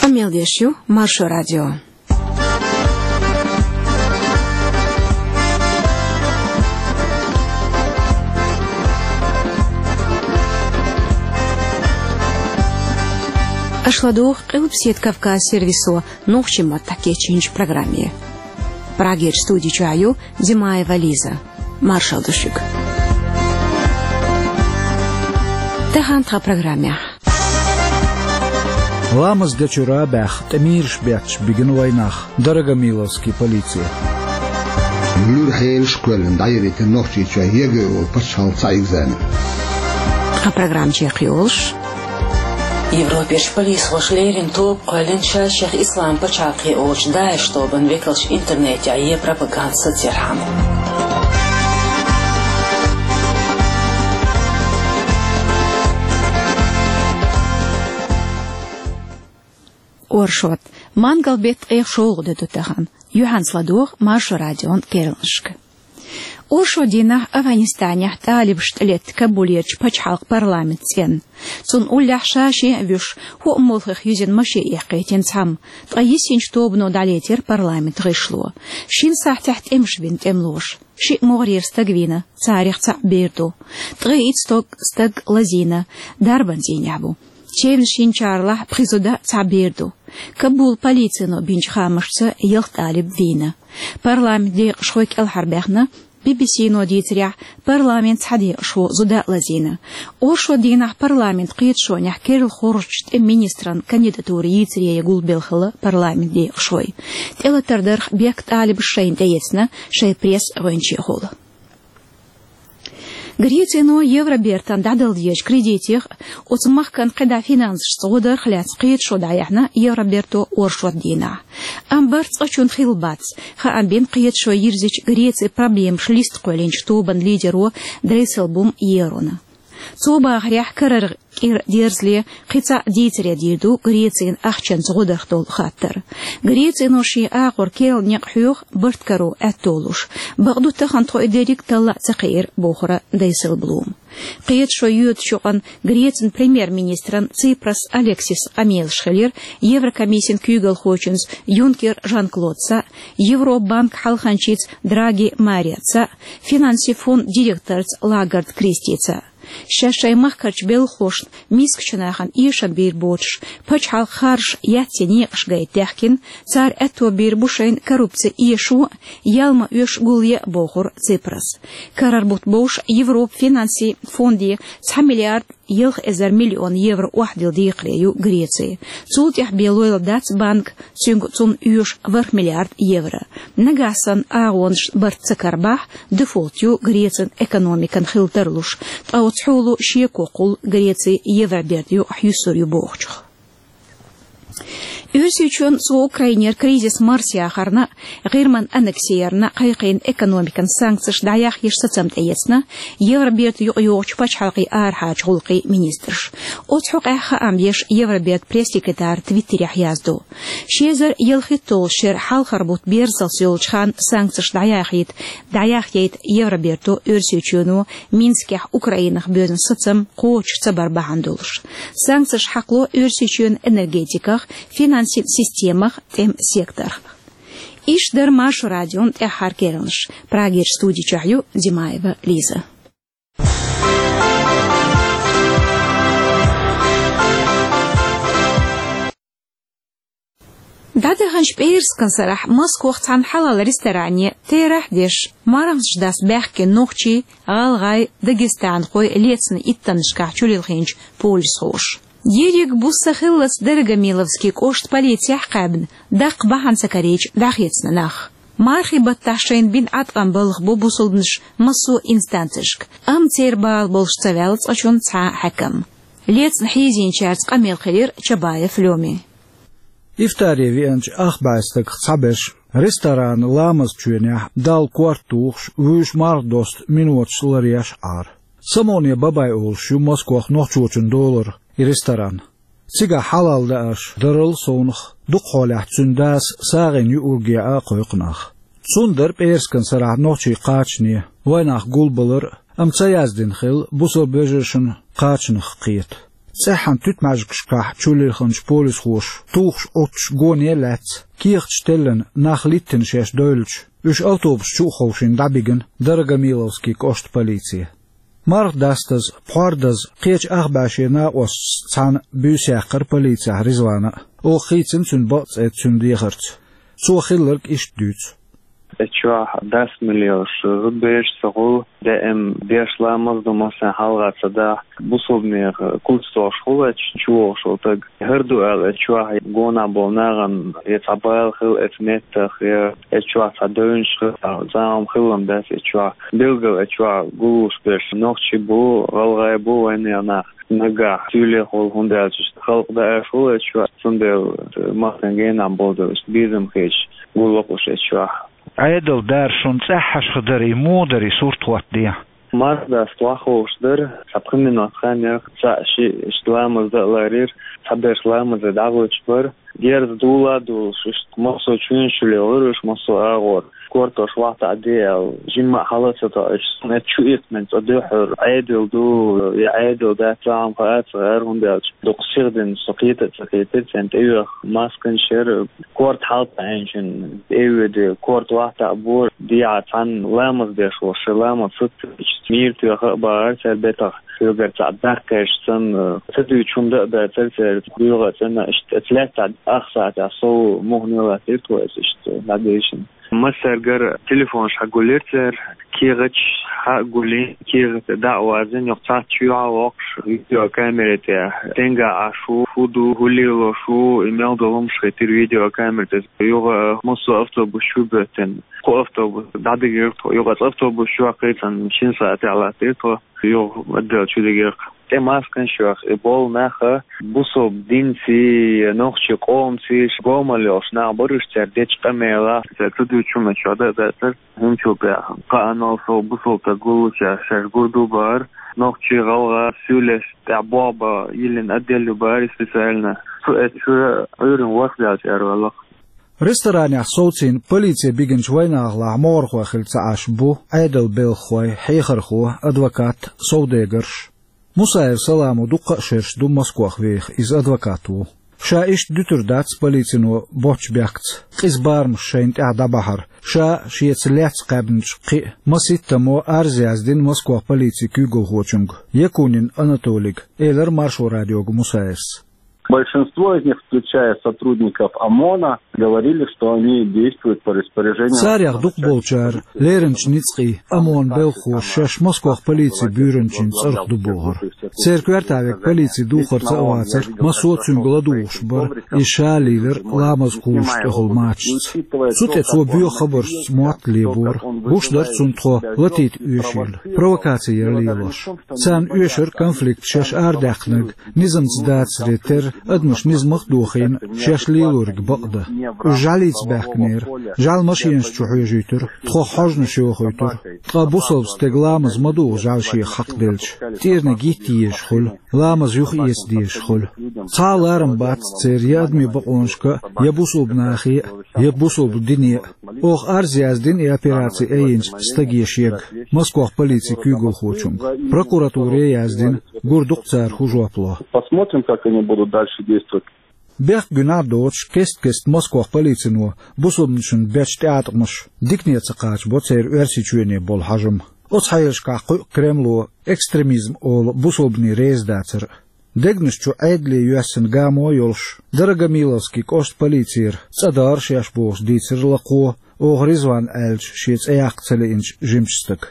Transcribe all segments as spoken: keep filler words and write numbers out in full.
Къамел деш ю Маршо радио. Аша ладугӀу Къилбаседа Кавказ сервисо нохчийн маттахь кечйинчу программе. Прагерчу студи чохь ю Димаева Лиза. Маршалла ду шуьга. Тахана тхан программехь. Ламаз дечуьра баьхна, тӀемираш бетташ бигина вайнах, Дорогомиловский полици. Луьра хьелаш а кхоьллина дӀайиритина Нохчийчохь ЕГЭ олу пачхьалкхан цхьа экзамен. Тхан программа чекхйолуш. Европерчу полисхоша леррина тоба кхоьллина ша-шех Ислам пачхьалкхе олучу ДАИШ тобанан векалш интернетехь ен пропаганда сацархьама. Оршот. Мангал-беттан ткъех шолгӀа де ду тахана. Юьхьанца ладогӀа Маршо радион керланашка. Оршот дийнахь Афганистанехь талибаша тӀелетта Кабулерчу пачхьалкхан парламентан цӀенна. Цунна уллехь ша-шен а вуьйш, хӀоъ молхех юьзна машен эккхийтина цхьамма, ткъа йисинчу тобано дӀалецира парламентан гӀишло. Шина сахьтехь тӀемаш бина тӀемалоша. Шиъ могӀарера стаг вийна, царах цхьаъ бер ду. Ткъе итт стаг, стаг лазийна, дарбан цӀийнехь бу. Чевнаш йинчаралахь пхи зуда а, цхьа бер ду. Кабулан полицино бинчу хаамашца ялх талиб вийна. Парламентан декъашхой кӀелхьарбаьхна, Би-Би-Си-но дийцарехь, парламентан цхьа декъашхо зуда а лазийна. Оршот дийнахь парламентан кхеташонехь керла хоржучу тӀеман министран кандидатура йийцаре гулбелла хилла парламентан декъашхой. ТӀелатар дарх бехк талибаша шайна тӀеэцна шайн пресс-гӀоьнчехула. Грецино Евробертана дӀадала дезачу кредитех а, оцу махкана кхидӀа финансашца гӀо дарх а лаьцна кхеташо дӀаяьхьна Евроберто оршот дийнахь. Амма барт цкъачунна хилла бац, хаам бина кхеташо йирзича Грецин проблемаш листа кхоьллинчу тобанан лидеро Дейселблум Ерона. Цо бахарехь, карара кӀира дерзале кхин цхьа дийцаре дийр ду Грецин ахчанца гӀо дарх долу хаттар. Грецино шен агӀор керла некъ хьоьху барт каро аьтто луш. Бакъду, тахана тхо и дерриг талла а ца кхиира, бохура Дейселблума. Кхеташо йоьдучу юкъана Грецин премьер-министран Ципрас Алексисан къамелаш хилира Еврокомиссин куьйгалхочуьнца Юнкер Жан-Клодца а, Европан банкан хьалханчица Драги Мариоца а, финансийн фондан директорца Лагард Кристица а. Шаьш шайн махкарчу белхалошна мискачу нахана эшам бийр боцуш, пачхьалкхан харжаш яц некъаш гайта даьхкина, цара аьтто бийр бу шайна коррупци эшо а, ял ма оьшу гулъе а, бохура Ципраса. Карара бутт бовш Европан финансийн фонде цхьа миллиард ялх эзар миллион евро охьадилла декхаре ю Греци. Цул тӀаьхьа бен лойла дац банка, цуьнга цунна оьшу ворхӀ миллиард евро. Нагахь санна агӀонаш барт ца карабахь, дефолт ю Грецин экономикан хила тарлуш, ткъа оцу хьоло шеко кхуллу Греци Евробертан юкъахь юьсур ю бохучух. Оьрсийчоьнна цо Украинера кризис марсаяхарна а, ГӀирман аннекси ярна а кхайкхийна экономикан санкцеш дӀаяхъеш сацам тӀеэцна Евробертан юкъайогӀучу пачхьалкхийн арахьарчу гӀуллакхийн министраша. Оцу хьокъехь хаам беш Евробертан пресс-секретара Твиттерехь яздо. Ши эзар ялхитталгӀачу шеран хьалхара бутт берзалц йолчу ханна санкцеш дӀаяхийта, дӀаяхъяйта Евроберто Оьрсийчоьно Минскехь Украинах боьзна сацам кхочуш ца бар бахьана долуш. Санкцеш хьакхало Оьрсийчоьнан энергетиках, финансийн системах, тӀеман секторах. Иштта дара Маршо радион тӀаьххьара керланаш. Прагерчу студи чохь ю Димаева Лиза. ДӀадаханчу пӀераскан сарахь Москвахь цхьана хьалал ресторане терахь деш, марханаш дас баьхкина нохчий, гӀалгӀай, дагестанхой лецна иттаннашкахь чулилхинчу полисхоша. Ерриг буса хиллалц Дорогомиловский кӀоштан полицехь кхаьбна, даккха бахьана ца карийча дӀахецна нах. Мархийн баттахь шайна бина Ӏаткъам балха бу бусалбанаш массо а инстанцешка, амма церан бала болуш ца ваьлла цкъачунна цхьа а хьаькам. Лецна хьийзийначаьрца къамел хилира Чабаев Лёмин. Ифтаре веанчу ах бӀе стагах цхьаберш ресторанан ламазан чоьнехь Далла корта тухуш, вуьйш марха досту миноташ ларъеш Ӏара. Самоне Бабай олуш ю Москвахь нохчочун долара и ресторан. Цигахь хьалал даарш дарал совнах, дукха хьолехь цуьнан дас сагӀина юург яа кхойкху нах. Цунна дара пӀераскан сарахь нохчий кхачане, вайнах гулбалар а, амма ца яздина хилла бусалба вежаршна кхачанах кхета. ЦӀеххьана туьтмаьжгашкахь чулилхинчу полисхоша тухуш Ӏуттуш гоне а лаьцна, кехаташ теллина нах литтина шаьш девлча, уьш автобус чу а ховшийна дӀабигина Дорогомиловский кӀоштан полице. Марха дастаза, пхьор даза, кхечу ах бӀе шен накъосташца цхьаьна буьйса яьккхира полицехь Ризвана а. Оха хийцина цуьнан бакъ цӀе цуьнан дехарца. Цо хилларг иштта дуьйцу. Эцу чохь дас миллионаш зудбераш ца хуьлу, даим деш ламаз ду, массарна хьалха ца дахь, бусулбанех куц тохуш хуьлу эцу чу вогӀуш волу стаг. ХӀара ду аьлла, эцу чохь гонах болу нахана я цхьа бала хилла эцу меттах, я эцу чохь цхьа девнаш хилла, цхьа зама хилла дац эцу чохь. Билггал эцу чохь гуллуш берш нохчий бу, гӀалгӀай бу, вайнех нах. Нагахь суьйлех волу, хӀунда аьлча халкъ даа аьлла хуьлу эцу чохь, цундела массарна генахь болу дела, безам хеташ гуллакх уьш эцу чохь. Ӏедал дара шуна цӀеххьашха дара, и муха дара, и сурт хӀоттаде? Марха даста ваххуш дара, цхьа пхи минот хан яра, цхьаъ шиъ иштта ламаз дан а ларийра, цхьаберш ламазе дӀагӀуьттуш бара. Герз дула а дулуш, иштта массо а чуьнаш чу лелора уьш, массо а агӀор. Кортош вахта а де аьлла, жимма а хьала а ца тоьуш, суна эцу чу итт мин цӀа дуьххьара, Ӏедал ду, я Ӏедал дац, цхьа хӀума хаа а ца хаьара, хӀунда аьлча дукха сихдина со кхета а ца кхетира, царна тӀеоьху масканаш яра, корта хьалатаӀийначун тӀе а воьду, корта вахта а бора, дехьа цхьана ламаз деш волуш, шайн ламаз сацийча, мийра тоьхна а бахара цара бетах, хьоьгара цхьаъ даккхийча санна, ца дуьйцуш хӀума дан а дацара церан, доьгӀа а цӀена, иштта эцу лаьттахь ах сахьтехь сов муха латтийра тхо эцу иштта дӀадешна. Массаьргара телефонаш хьагулйира цара, кехаташ хьагулйина, кехат дӀа а вазийна, юха цхьацца чоьхьа а воккхуш, видеокамера тӀехь, стенга Ӏаш ву, хӀун ду, хӀун лелош ву, и мел долу хӀумнаш хийтира видеокамера тӀе. Юха массо а автобус чу а боьттина, кху автобус дӀадигира тхо, юха оцу автобус чохь кхийцина шина сахьтехь латтийра тхо, юха отдел чу дигира. ТӀе масканаш йохуш, и болу нах бусалба динций, нохчийн къомаций, гомал йолуш нах бара уьш, цара дечу къамелах, цара ца дуьйцучу хӀуманаш чохь дан а дацара, хӀинцул тӀаьхьа кхаанал сов бусалба стаг гуллучехь шаьш гур ду бахара, нохчий, гӀалгӀай суьйлаш тӀехь болх бан йиллина отдел ю бахара, и специально. Цу эцу чуьра Ӏуьйранна ворхӀ даьлча араваьлла-кх. Ресторанехь совцийна полице бигинчу вайнахалахь могӀархой хилла ца Ӏаш бу Ӏедалан белхахой, хьехархо, адвокат, совдегарш. Мусаев Саламо дуккха а шераш ду Москвахь веха, иза адвокат ву. Ша иштта дуьтур дац полицино боцчу бехкаца, къиза барамаш шайна тӀехь дӀабахьар, ша шеца лаьцна кхаьбначу кхин а масийттамо арз яздина Москвахь полицин куьйгалхочуьнга, Якунин Анатолийга, элира Маршо радиога Мусаевс. Большинство из них, включая сотрудников ОМОНа, говорили, что они действуют по распоряжению. Царех дукхахболчара лерринчу ницкъийн ОМОН белхахоша шаьш Москвахь полицин буьйранчин цӀарах ду бохура. Церан коьрта верг полицин духарца а вацара, массо а цуьнга ладугӀуш бара, иза ша лийлира ламаз кхуллуш тӀехула мачашца. Цу тӀе цо боьха хабаршца мотт лебора, гуш дара цунна тхо латийта оьшийла, провокаци яра лелош. Царна оьшура конфликт шаьш арадаьккхинарг низамца дацаре терра, адамаш низамах а дохийна, шаьш лелориг бакъдан. Уьш жӀаьлица баьхкинера, жӀаьла машенаш чу хьоьжуьйтура, тхох хьожанаш йохуьйтура. Ткъа бусалба стеган ламаз ма дугӀу жӀаьла шех хьакхаделча, тӀерниг йитта езаш хуьлу, ламаз юха эца дезаш хуьлу. Цхьа а ларам бац церан я адамийн бакъонашка а, я бусалба нахе а, я бусалба дине а. Оха арз яздина и операци айинчу стаге шега, Москвахь полицин куьйгалхочуьнга. Прокуратуре а яздина, гур ду-кх цара хӀун жоп ло. Посмотрим, как они будут дальше действовать. Бехк гуьнахь а доцуш, кест-кеста Москвахь полицино бусалбанашна бечу тӀеӀаткъамаша дикане ца кхачабо церан Оьрсийчоьне болу хьажам. Оцу хьелашкахь кхуьу Кремло экстремизм олу бусалбане реза дацар а. Дегнаш чу Ӏедале йоьссина гамо а йолуш, Дорогомиловский кӀоштан полицера цӀа дара шаьш бохуш дийцира лакхо, оха Ризван аьллачу шен цӀе яккха ца лиъначу жимачу стага.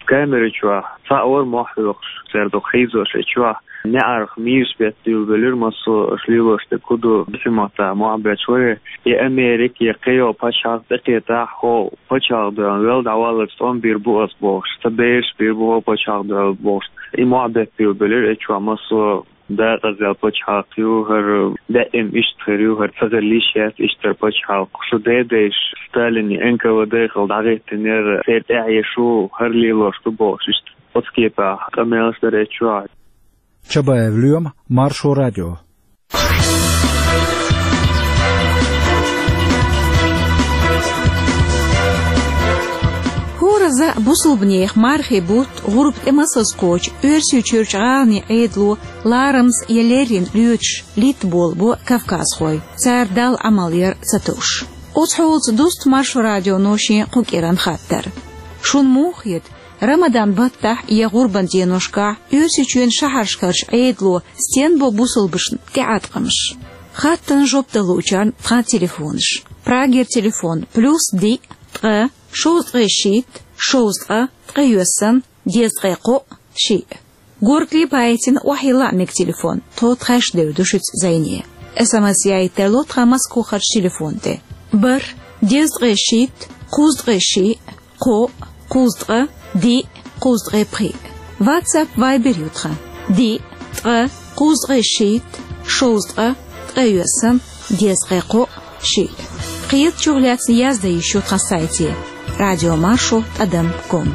Камера чохь цхьаъ вара мохь хьоькхуш, цара дукха хьийзош эцу чохь. НеӀарх мийраш беттабуьйлабелира массо а, аша лелош дерг хӀун ду, бисин маттахь мохь бетташ вара. И Америка, я кхин йолу пачхьалкх тӀекхетахь, хӀокху пачхьалкхан дуьхьал вел дӀаваллалц тӀом бийр бу ас бохуш, сан бераш бийр бу хӀокху пачхьалкхан дуьхьал бохуш. И мохь беттабуьйлабелира эцу чохь массо а. Декъаза пачхьалкх ю хӀара, даим иштта хир ю хӀара, ца хила йиш яц иштта пачхьалкх. Шу дедайша Сталинан Н К В Д хилла дӀахӀиттинера, церан тӀаьхье шу хӀара лелош ду бохуш, иштта оцу кепехь къамелаш дара эцу чохь. Чабаев Лоьма, Маршо радио. ХӀоразза Бусалбанех мархий бутт гӀурба тӀе масаза кхочу Оьрсийчуьрчу гӀаланийн Ӏедало ларамаза я леррина лоьцуш литта болабо кавказхой, цара Далла Ӏамал яр ца товш. Оцу хьолаца дуста Маршо радионо шен кху кӀиранан хаттар. Шуна муха хета, Рамадан баттахь я гӀурбан деношкахь Оьрсийчоьнан шахьаршкарчу Ӏедало стенна бо бусалбашна тӀеӀаткъамаш? Хаттарна жоп далучарна тхан телефонаш. Прагера телефон: плюс диъ, ткъа, шовзткъе шийтта, шовзткъа, ткъе йоьсна, дезткъе кхоъ, шиъ. Горгали Паэтина охьайилла а мега телефон, тхо тхаьш девр ду шуьца зӀене. СМС яийта тарло тхан Москохарчу телефон тӀе: бархӀ, дезткъе шийтта, кхузткъе шиъ, кхоъ, кхузткъа, диъ, кхузткъе пхиъ. WhatsApp, Viber ю тхан: диъ, ткъа, кхузткъе шийтта, шовзткъа, ткъе йоьсна, дезткъе кхоъ, шиъ. Кхетачух лаьцна яздан йиш ю тхан сайте: радиомаршо тӀадам ком.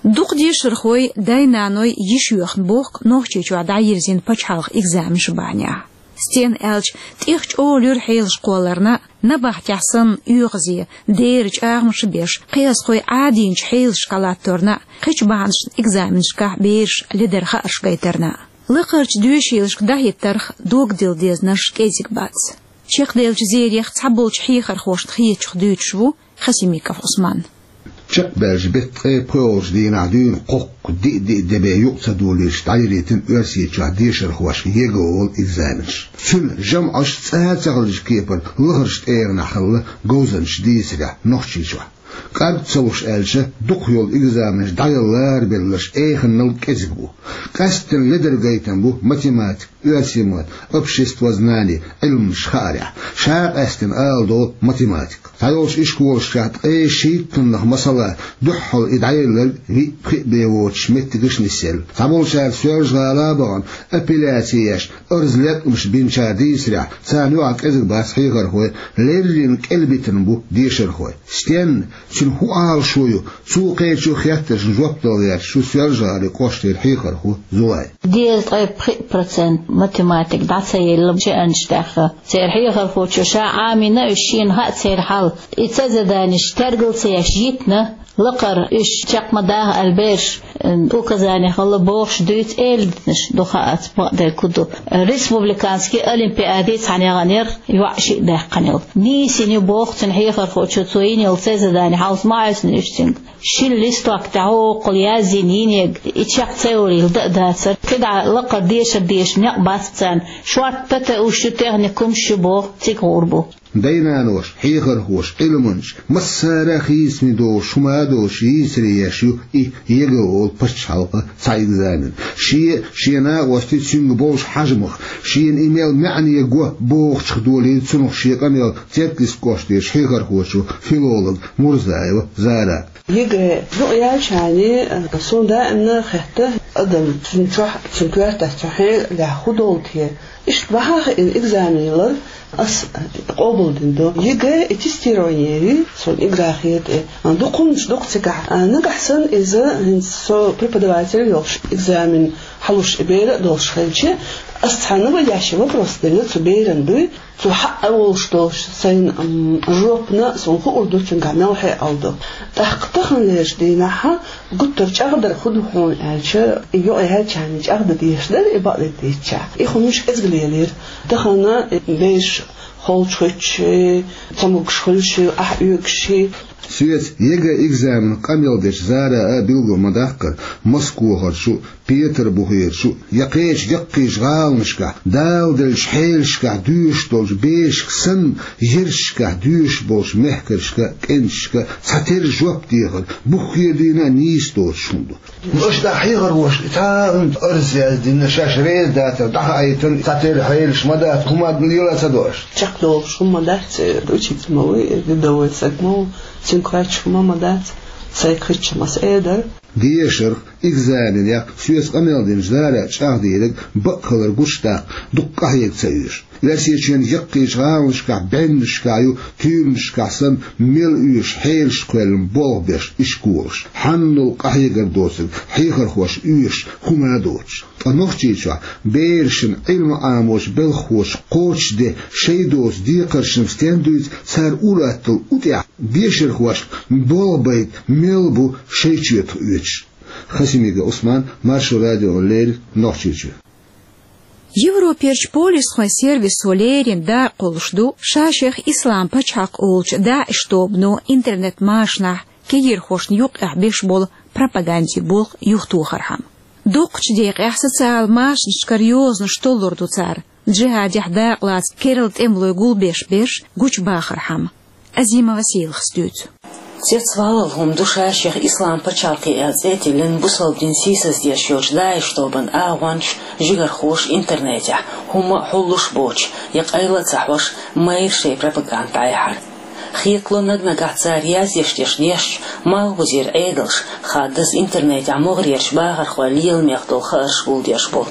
Дукха дешархой, дай-наной йиш йоьхна бохку Нохчийчохь дӀайирзина пачхьалкхан экзаменаш бахьанехь. Стенна аьлча, тӀех чӀогӀа луьра хьелаш кхолларна, набахтехь санна оьгӀазе, дера чӀагӀамаш беш, кхиазхой Ӏадийначу хьелашкахь латторна, кхечу бахьанашна экзаменашкахь бераш ледара хаарш гайтарна. Лакхарчу доьшийлашка дӀахӀиттарх догдилла дезнарш кӀезиг бац. Чекхделлачу зерех цхьаболчу хьехархошна хетачух дуьйцуш ву Хасимиков Ӏусман. Чекхбаьллачу беттан ткъе пхоьалгӀачу дийнахь дуьйна кхоккха диъ-диъ де бен юкъа ца долуьйтуш дӀайирзина Оьрсийчохь дешархошка ЕГЭ олу экзаменаш. Цуьнан жамӀаш цкъа а ца хилчу кепара лахарчу тӀегӀанехь хилла говзанчаша дийцарехь Нохчийчохь. КӀарг ца луш аьлча, дукха йолу экзаменаш дӀаяла ларабелларш эханнал кӀезиг бу. Къаьсттина ледара гайтам бу математика, оьрсийн мотт, обществознание, Ӏилманаш хаарехь. Ша къаьсттина ала долу математика. Цхьайолчу ишколашкахь ткъе шийттаннах, масала, дуьххьал и дӀаелларг виъ-пхиъ бен воцуш меттигаш нисъелла. Цхьаболчара Соьлжа-ГӀала а бахана, апелляци еш, арз-латкъамаш бинчара дийцарехь, царна юкъахь кӀезиг бац хьехархой, леррина кӀелбитина бу дешархой. Стенна, цуьнан хӀун Ӏалашо ю, цо кхечу хеттаршна жоп дала гӀерташ ву Соьлжа-ГӀалин кӀоштара хьехархо Зулай. Дезткъе пхиъ процент математика дӀа ца елла шиъанаш тӀехь. Церан хьехархочо ша Ӏамийна уьш, шена хаьа церан хьал. И цхьа заданеш тергал ца еш йитина, лакхара уьш чекх ма даха аьлла бераш, м, указани хилла бохуш дуьйцу, эладитанаш ду, хаац бакъдерг хӀун ду. Республиканский олимпиади цхьаьна яханера, йоӀ шиъ даьккхинарг. Нийсина ю боху цуьнан хьехархочо цо йинарг, цхьа задани хьалха ма Ӏаьвсина уьш цуьнга. Шина листок тӀехь хӀокхул яздина йинарг, и чекх ца йолийла дан а дацара. КхидӀа лакхара дешар дезаш некъ бац царна. Шорта тата уьш ю, техникумаш ю боху, цига гӀур бу. Дай-наноша, хьехархоша, Ӏилманчаша, массара а хийцаме долуш, хӀума а долуш, йийцаре еш ю и ЕГЭ олу пачхьалкхан цхьа экзамен. Шен, шен накъостий, цуьнга болуш хьежамах, шена и мел маьӀне го бохучух долийла цунах шен къамел Церкалистан кӀоштарчу хьехархочо, филолог Мурзаева Зара. ЕГЭ юкъаяьлча, суна даимна хетта, адам цуьнан чохь, цуьнан коьртехь цу хьелехь хӀун долу те. Иштта бахьа а хиъна экзамен лар ас къобалдина ду. ЕГЭ и тестирование ю, суна игра хета и. Дукха хӀуманаш ду-кх цигахь. А, нагахь санна иза, хӀинца со преподаватель йолуш, экзамен хьалуш и бер а долуш хилча, ас цхьа наводящий вопрос делла цу берана дуй. Цо хьаъа волуш долуш сайна, м, жопана, суна хуур ду, цуьнгахь мел хьекъал ду. ТӀаккха таханлерчу дийнахьа гуттар а чӀагӀдар хӀун ду хьуна аьлча, и юкъаяьлча чӀагӀдан дезаш дара, и бакъдерг дийцича. И хӀуманаш кӀезиг лелийра. Тахана бераш холчухуьттуш, цамогаш хуьлуш, ахь оьгуш. Соьца ЕГЭ экзаменах къамел дечу Зара а билгал ма-даккхара, Москохарчу, Петарбухерчу я кхечу яккхийчу гӀаланашкахь, Дала деллачу хьелашкахь доьшуш долчу берашка санна, ярташкахь доьшуш болчу мехкаршка, кӀенташка цхьатерра жоп дехар буххе а дуьйна а нийса доцуш хӀума ду. Аша дӀа хьехархоша цхьа а арз яздина, шаьш реза дацар дӀахаийтина, цхьатерра хьелаш ма дац, хӀума лела а ца до аша. Чекхдолуш хӀума дац, учитель ма ву, рядовой саг ма ву, цуьнга кхоьчуш хӀума ма дац, сайга хиъча ма ас эр дара. Дешарх, экзаменех соьца къамел динчу Зара чӀагӀдийриг бакъ хилар гучудаккха дукха къахьега ца оьшу. Оьрсийчоьнан яккхийчу гӀаланашкахь, бӀеннашкахь ю, туьйранашкахь санна, мел оьшу хьелаш кхоьллина болх беш ишколаш. Хьанал къахьегар доцург хьехархоша оьшу, хӀума а доцуш. Ткъа Нохчийчохь берашна Ӏилма Ӏамочу белхахоша кхочушде шайн доцу декхаршна стен дуьйцу, цара ур-атталла у тӀехь дешархошка болх байта мел бу шайн чоьтах оьцуш. Хасимиков Ӏусман, Маршо радиона леррина, Нохчийчоь. Европерчу полисхойн сервисо леррина дакъа кхуллуш ду ша-шех Ислам пачхьалкх олучу ДАИШ тобано интернет-машанахь кегийрхошна юккъехь беш болу пропагандин болх юхатохархьама. Дукхачу декъехь социал машанашкара йозанаш толлур ду цара, джихӀадехь дакъалаца керла тӀемалой гулбеш берш гучубахархьама. Азимова Сийлахьас дуьйцу. Цецвалалла хӀума ду ша-шех Ислам пачхьалкх аьлла цӀе а тиллина бусалба дин сийсаздеш йолчу ДАИШ тобанан агӀончаша, жигархоша интернетехь, хӀумма а хьуллуш боцуш, я къайла а ца хьош, майра шайн пропаганда дӀаяхьар. Хетало, наг-нагахь цара яздеш дерш дешча, малхбузера Ӏедалша, хаддаза интернетехь могӀарерчу бахархойн лела мех долу хаарш гулдеш болу.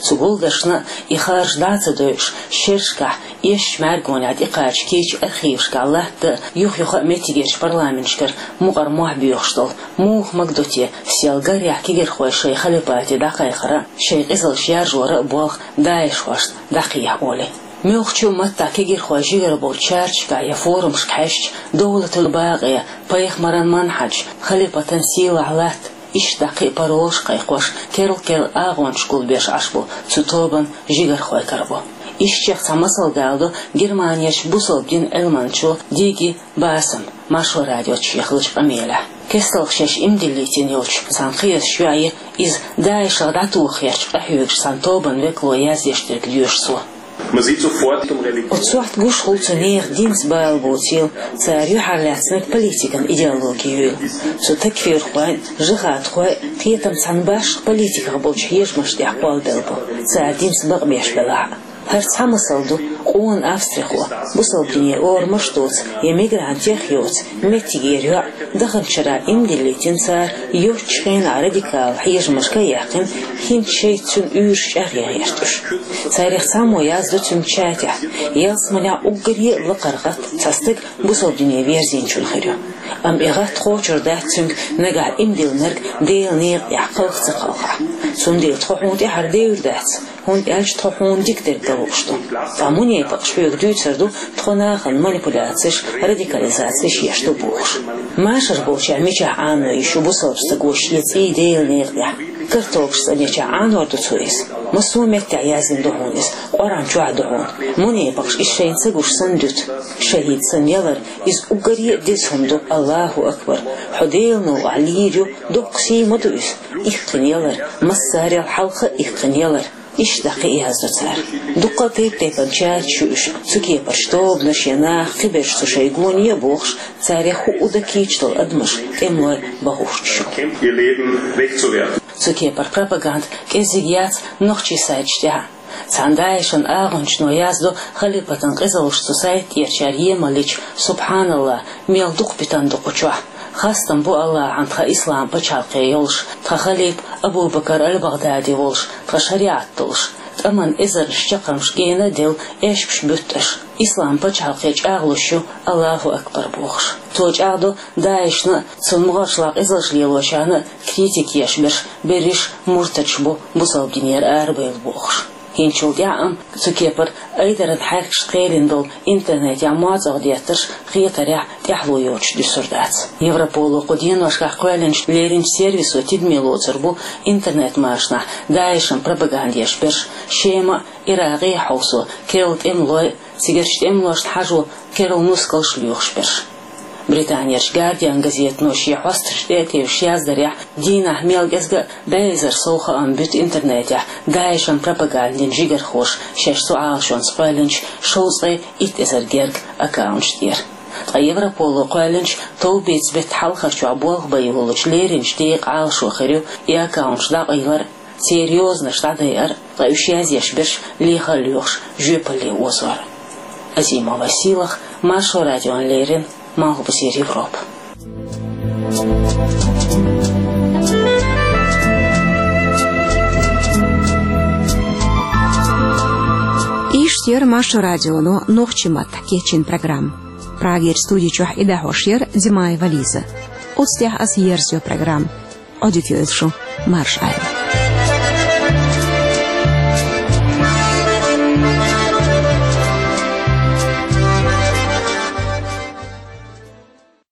Цу гулдаршна а и хаарш дӀа а ца дойуш, шерашкахь, эшначу мӀаьргонехь тӀекхача кийча архивашкахь латта а, юха-юха а меттигерчу парламенташкара мукъара мохь боьхуш долу, муха магадо те, сел гарехь кегийрхой шайн халипате дӀакхайкхара а, шайн къизалш яржора а болх ДАИШхошна дӀакхехьа олий. Муьлххачу а маттахь кегийрхой жигара болчу чарташкахь я форумашка хьаьжча, довлатал бакъе, пайхамаран манхьаж, халипатан сийлахь латта, иштта дӀа кхин а паролаш кхайкхош, керла-керла агӀончаш гулбеш Ӏаш бу, цу тобанан жигархой карабо. Ишттачех цхьа масал даладо Германерчу бусалба динан Ӏилманчо Диги Басам, Маршо радиоца шен хиллачу къамелехь. КесталгӀа шаьш иман диллийтина йолчу цхьана кхиазчу йоӀе, иза ДАИШах дӀатоха гӀерташ къахьоьгуш цхьана тобанан векало яздеш дерг доьшу цо. Оцу сохьта гуш хуьлу цу нехан динца бала боцийла, цара юьхьарлаьцнарг политикан идеологи юйла. Цу такфирхойн, жихӀадхойн кхетам цхьана башха политиках болчу хьежамашна тӀехь кхоллабелла бу, цара динца бакъбеш белахь а. ХӀара цхьа масал ду къона австрихо, бусалба дине орамаш доцу я мигрантех йоцу, меттигера йоӀ, даханчу шарахь иман диллийтина цара, йоцчу хенахь радикал хьежамашка а яьккхина, хӀинца шайца цуьнан уьйраш чӀагӀъян гӀерташ. Царех цхьаммо яздо цуьнан чатехь, ялсаманехь уггаре а лакхара гӀатта цхьа стаг бусалба дине верзийначун хир ю. Амма и гӀатта кхочур дац цуьнга, нагахь иман диллинарг Делан некъа тӀехь кхалха ца кхалхахь. Цундела тхо хьуна тӀаьхьара девр дац, хӀунда аьлча тхо хьуна дика дерг дан лууш ду. Ткъа мунепакъаша хьоьга дуьйцур ду, тхо нахана манипуляцеш, радикализацеш еш ду бохуш. Машар болчара мичахь Ӏано йиш ю бусалба стага я цӀий Делан некъа тӀехь? Картолгаш цӀанъечохь Ӏанор ду цо иза? Массо а меттехь яздина ду хьуна иза, Къуръан чохь ду хьуна. Мунепакъаша иза шайна ца гуш санна дуьту. Шахид санна ялар, иза уггаре а деза хӀума ду, Аллаху акбар. Хьо Делан новкъахь лийр ю, доккха сий ма ду иза. Иккхина ялар, массарел хьалха а иккхина ялар. Иштта дӀа кхин а яздо цара. Дуккха а тайп-тайпана чаташ ю уьш, цу кепарчу тобанаш я наха кхиберш цу шайн гоне а бохуш, царех хӀуъу дан кийча долу адамаш, тӀемалой бан гӀерташ ю. Цу кепара пропаганда кӀеззиг яц нохчийн сайташ тӀехь а. Цхьана ДАИШан агӀончано яздо халипатан къизаллаш цу сайта тӀерачара емаллича, субхьаналлахӀ, мел дукха питана ду кху чохь. Хастам бу Аллахьан тхан ислам пачхьалкхе йолуш, тхан халипа Абу-Бакар аль-БагӀдади волуш, тхан шариӀат долуш, тӀаман эзарнаш чаккхармаш гена а делла, эшпаш буьтту аша. Ислам пачхьалкхе чӀагӀлуш ю, Аллаху акбар бохуш. Цо чӀагӀдо ДАИШна а, цуьнан могӀаршкахь къизаллаш лелочарна а критика еш берш, берриш муртадаш бу, бусалба динера арабевлла бохуш. ХӀинцачул тӀаьхьа амма цу кепара айдаран хьаьркашна кхелина долу интернетехь моацӀалла деттарш хетарехь тӀаьхьало йоцуш дуьсур дац. Европоло кху деношкахь кхоьллинчу леринчу сервисо тидаме лоцур бу интернет-машанахь ДАИШан пропаганда еш берш, Шема а, Иракъе а хьовсо керла тӀемалой а, цигарчу тӀемалошна хьажо керла нускалш лоьхуш берш. Британерчу Гардиан газетано шен хьосташ тӀе а тевжаш яздарехь, дийнахь мел кӀезга а бӀе эзар сов хаам буьту интернетехь ДАИШан пропагандин жигархоша шаьш цу Ӏалашонца кхоьллинчу шовзткъе итт эзар герга аккаунташ тӀера. Ткъа Европоло кхоьллинчу товбеца беттан хьалхарчохь болх бан йолучу леринчу декъан Ӏалашо хир ю и аккаунташ дӀакъайлар а, церан йозанаш дӀадайар а, ткъа уьш язъеш берш леха а лоьхуш жоьпалле озор. Азимова Сийлахь, Маршо радиона леррина, Малхбузера Европа. Иштта Яр Маршо радионо нохчийн маттахь кечйина программа. Прагера студи чохь и дӀахьош яр Димаева Лиза. Оцу тӀехь аса ерзайо программа. Ӏодика йойла шу, марша Ӏайла.